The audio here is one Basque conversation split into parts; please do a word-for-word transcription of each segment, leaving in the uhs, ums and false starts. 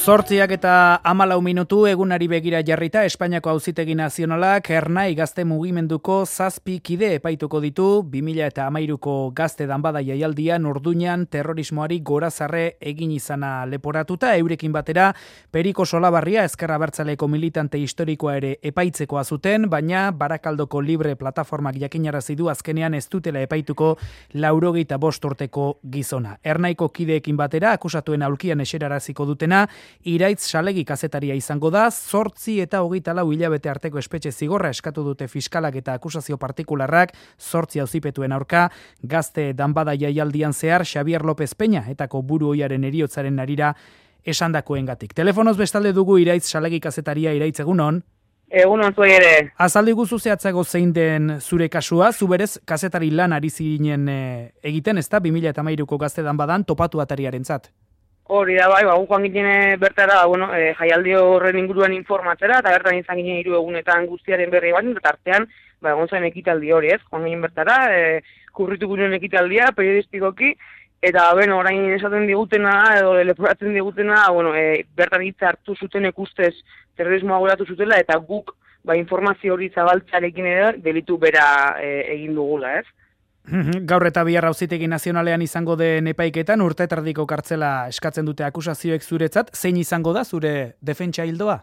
Zortziak eta hamalau minutu egunari begira jarrita Espainiako Auzitegi Nazionalak Ernai gazte mugimenduko zazpi kide epaituko ditu bi mila hamairuko gazte danbada jaialdian Orduñan terrorismoari gorazarre egin izana leporatuta, eurekin batera Periko Solabarria Ezker Abertzaleko militante historikoa ere epaitzekoa zuten, baina Barakaldoko Libre plataformak jakinarazi du azkenean ez dutela epaituko laurogeita bost urteko gizona. Ernaiko kideekin batera akusatuen aulkian eseraraziko dutena Iraitz Salegi kazetaria izango da, zortzi eta hogeita lau hilabete arteko espetxe zigorra eskatu dute fiskalak eta akusazio partikularrak, zortzi auzipetuen aurka, gazte danbada jaialdian zehar Xabier López Peña etako buru ohiaren heriotzaren arira esandakoengatik. Telefonoz bestalde dugu Iraitz Salegi kazetaria. Iraitz, egunon. Egunon zuei ere. Azaldi guzu zehatzago zein den zure kasua, zu berez kazetari lan ari zinen e, egiten, ezta bi mila hamairuko gazte danbadan topatu atariarentzat. Hori da, bai, ba, joan ginen bertara, bueno, e, jaialdi horren inguruan informatzera, eta bertan izan ginen hiru egunetan guztiaren berri bat, eta artean, ba, egon zen ekitaldi hori, ez, joan ginen bertara, e, kurritu ginen ekitaldia, periodistikoki, eta, bueno, orain esaten digutena, edo leporatzen digutena, bueno, e, bertan hitza hartu zuten ikustez terrorismoa goratu zutela, eta guk, ba, informazio hori zabaltzarekin ere, delitu bera e, egin dugula, ez. Gaur eta bihar Auzitegi Nazionalean izango den epaiketan urte terdiko kartzela eskatzen dute akusazioek zuretzat, zein izango da zure defentsa hildoa?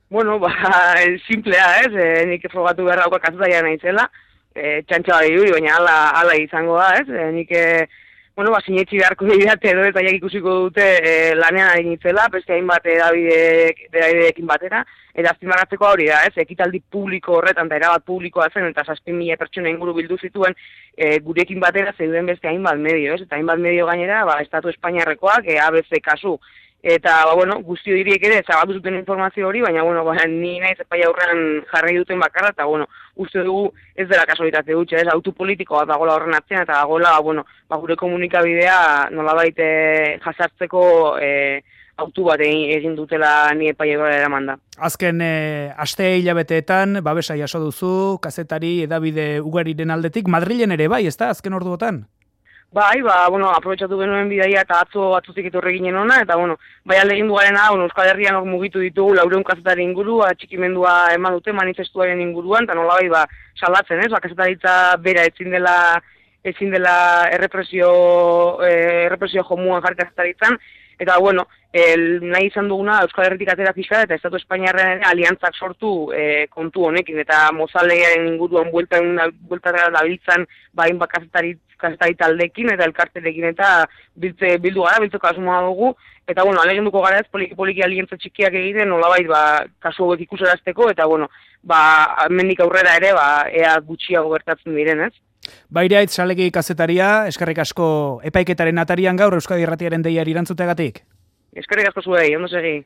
Bueno, ba, simplea, ez, e, nik frogatu behar dauka kazetaria naizela, e, txantxa bai duri, baina ala, ala izango da, ez, e, nik, e, bueno, ba, sinetxi beharko didate edo eta jak ikusiko dute e, lanean ari nintzela, beste hainbat edabideekin batera, eta azpimarratzeko hori da, ez, ekitaldi publiko horretan, eta erabat publikoa zen, eta zazpi mila pertsona inguru bildu zituen, e, gurekin batera zeuden beste hainbat medio, ez, eta hainbat medio gainera, ba, Estatu Espainiarrekoak, e, A B C kasu, eta, ba, bueno, guztio diriek ere, zabaldu zuten informazio hori, baina, bueno, ba, ni naiz epai aurrean jarri duten bakarra, eta, bueno, uste dugu ez dela kasualitate dutxe, ez, autu politikoa dagoela horren atzean, eta dagoela, bueno, ba, gure komunikabidea nolabait jasartzeko e, autu bat egin dutela ni epai aurrera eraman da. Azken e, aste hilabeteetan, babesa jaso duzu, kazetari edabide ugariren aldetik, Madrilen ere bai, ezta, azken orduotan? Bai, ba, bueno, aprobetxatu genuen bidaia eta atzo atzutik etorri ginen ona, eta, bueno, bai alegin dugarena, bueno, Euskal Herrian hor mugitu ditugu laureun kazetari inguru, atxikimendua eman dute manifestuaren inguruan, eta nola bai, ba, salatzen, ez, ba, kazetaritza bera ezin dela, ezin dela errepresio, eh, errepresio jomuan jarri kazetaritzan, eta, bueno, el, nahi izan duguna Euskal Herritik atera fiskala eta Estatu Espainiarren aliantzak sortu e, kontu honekin, eta mozalearen inguruan bueltan dabiltzan bain ba, kazetari, kazetari taldekin eta elkarterekin eta biltze, bildu gara, biltzeko asmoa dugu, eta, bueno, alegenduko gara ez poliki-poliki aliantza txikiak egiten, nolabait, ba, kasu hauek ikuserazteko, eta, bueno, ba, mendik aurrera ere, ba, ea gutxiago gertatzen diren, ez? Iraitz Salegi kazetaria, eskerrik asko epaiketaren atarian gaur Euskadi Irratiaren deiari erantzuteagatik. Eskerrik asko zuei, ondo segi.